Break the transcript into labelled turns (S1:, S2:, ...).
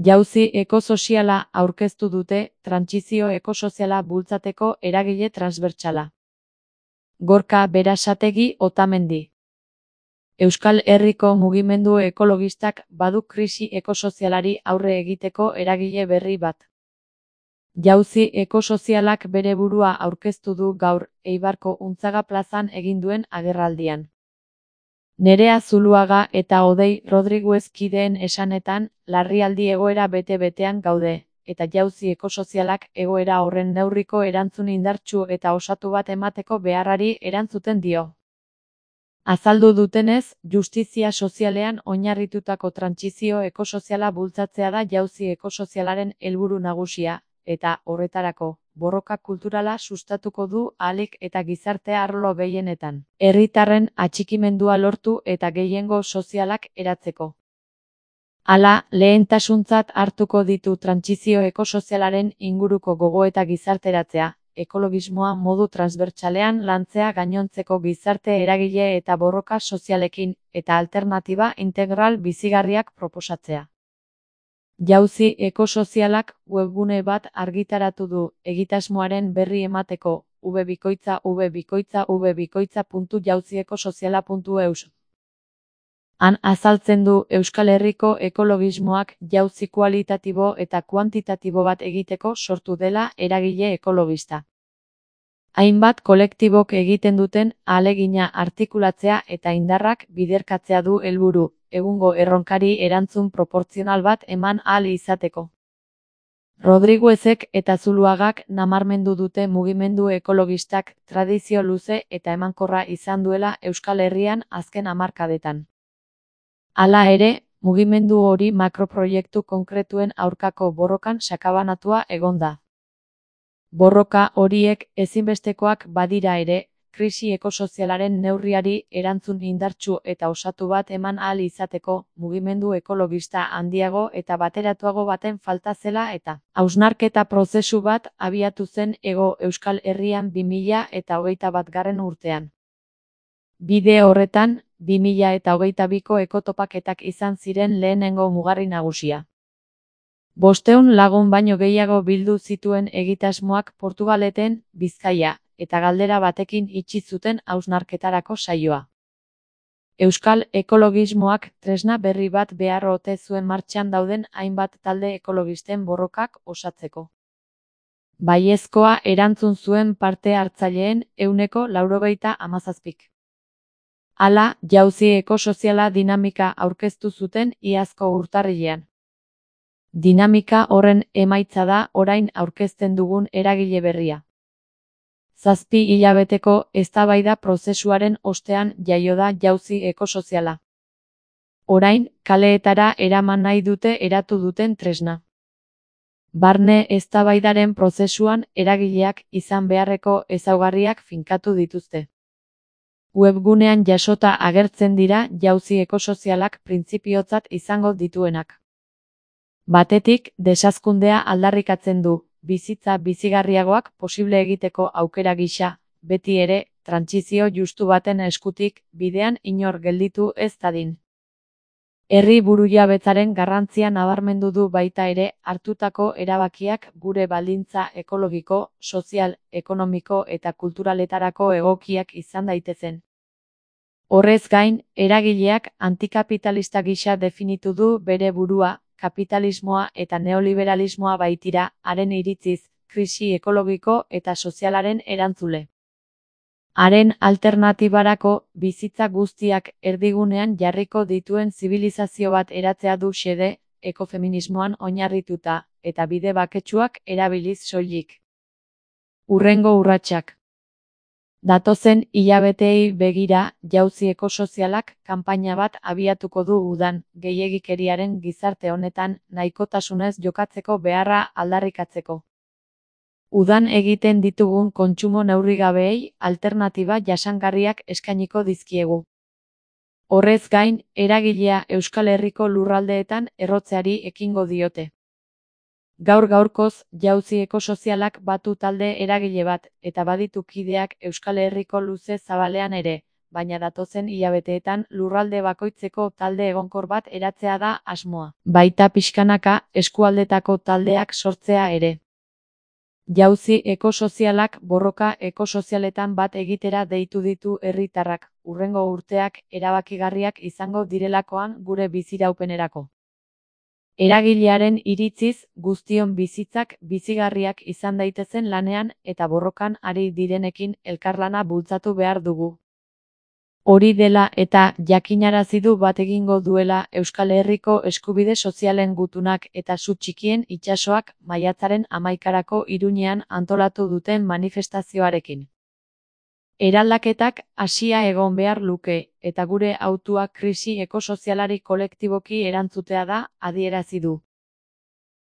S1: Jauzi ekosoziala aurkeztu dute trantsizio ekosoziala bultzateko eragile transbertsala. Gorka Berasategi Otamendi. Euskal Herriko mugimendu ekologistak badu krisi ekosozialari aurre egiteko eragile berri bat. Jauzi ekosozialak bere burua aurkeztu du gaur Eibarko Untzaga plazan egin duen agerraldian. Nerea Zuluaga eta Odei Rodriguez kideen esanetan, larrialdi egoera bete-betean gaude, eta jauzi ekosozialak egoera horren neurriko erantzun indartsu eta osatu bat emateko beharrari erantzuten dio. Azaldu dutenez, justizia sozialean oinarritutako trantsizio ekosoziala bultzatzea da jauzi ekosozialaren helburu nagusia, eta horretarako, borroka kulturala sustatuko du ahalik eta gizarte arlo gehienetan. Herritarren atxikimendua lortu eta gehiengo sozialak eratzeko. Hala, lehentasuntzat hartuko ditu trantsizio ekosozialaren inguruko gogoeta gizarteratzea, ekologismoa modu transbertsalean lantzea gainontzeko gizarte eragile eta borroka sozialekin, eta alternatiba integral bizigarriak proposatzea. Jauzi ekosozialak webgune bat argitaratu du, egitasmoaren berri emateko, www.jauziekosoziala.eus. Han azaltzen du Euskal Herriko ekologismoak jauzi kualitatibo eta kuantitatibo bat egiteko sortu dela eragile ekologista. Hainbat kolektibok egiten duten ahalegina artikulatzea eta indarrak biderkatzea du helburu, egungo erronkari erantzun proportzional bat eman ahal izateko. Rodriguezek eta Zuluagak nabarmendu dute mugimendu ekologistak tradizio luze eta emankorra izan duela Euskal Herrian azken hamarkadetan. Hala ere, mugimendu hori makroproiektu konkretuen aurkako borrokan sakabanatua egon da. Borroka horiek ezinbestekoak badira ere, krisi ekosozialaren neurriari erantzun indartsu eta osatu bat eman ahal izateko, mugimendu ekologista handiago eta bateratuago baten falta zela eta hausnarketa prozesu bat abiatu zen Hego Euskal Herrian 2021 urtean. Bide horretan, 2022ko ekotopaketak izan ziren lehenengo mugarri nagusia. 500 lagun baino gehiago bildu zituen egitasmoak Portugaleten, Bizkaia, eta galdera batekin itxi zuten hausnarketarako saioa. Euskal ekologismoak tresna berri bat behar ote zuen martxan dauden hainbat talde ekologisten borrokak osatzeko. Baiezkoa erantzun zuen parte hartzaileen 97%. Hala, jauzi ekosoziala dinamika aurkeztu zuten iazko urtarrilean. Dinamika horren emaitza da orain aurkezten dugun eragile berria. 7 hilabeteko eztabaida prozesuaren ostean jaio da jauzi ekosoziala. Orain, kaleetara eraman nahi dute eratu duten tresna. Barne eztabaidaren prozesuan eragileak izan beharreko ezaugarriak finkatu dituzte. Webgunean jasota agertzen dira jauzi ekosozialak printzipiotzat izango dituenak. Batetik, desazkundea aldarrikatzen du, bizitza bizigarriagoak posible egiteko aukera gisa, beti ere, trantsizio justu baten eskutik, bidean inor gelditu ez dadin. Herri burujabetzaren garrantzia nabarmendu du baita ere, hartutako erabakiak gure baldintza ekologiko, sozial, ekonomiko eta kulturaletarako egokiak izan daitezen. Horrez gain, eragileak antikapitalista gisa definitu du bere burua, kapitalismoa eta neoliberalismoa baitira, haren iritziz, krisi ekologiko eta sozialaren erantzule. Haren alternatibarako, bizitza guztiak erdigunean jarriko dituen zibilizazio bat eratzea du xede, ekofeminismoan oinarrituta, eta bide baketsuak erabiliz soilik. Hurrengo urratsak. Datozen hilabeteei begira, jauzi ekosozialak kanpaina bat abiatuko du udan, gehiegikeriaren gizarte honetan nahikotasunez jokatzeko beharra aldarrikatzeko. Udan egiten ditugun kontsumo neurrigabeei alternatiba jasangarriak eskainiko dizkiegu. Horrez gain, eragilea Euskal Herriko lurraldeetan errotzeari ekingo diote. Gaur-gaurkoz, jauzi ekosozialak batu talde eragile bat, eta baditu kideak Euskal Herriko luze zabalean ere, baina datozen hilabeteetan lurralde bakoitzeko talde egonkor bat eratzea da asmoa. Baita pixkanaka eskualdetako taldeak sortzea ere. Jauzi ekosozialak borroka ekosozialetan bat egitera deitu ditu herritarrak, hurrengo urteak erabakigarriak izango direlakoan gure biziraupenerako. Eragilearen iritziz, guztion bizitzak bizigarriak izan daitezen lanean eta borrokan ari direnekin elkarlana bultzatu behar dugu. Hori dela eta jakinarazi du bat egingo duela Euskal Herriko eskubide sozialen gutunak eta su txikien itsasoak maiatzaren 11 Iruñean antolatu duten manifestazioarekin. Eraldaketak hasia egon behar luke, eta gure hautua krisi ekosozialari kolektiboki erantzutea da, adierazi du.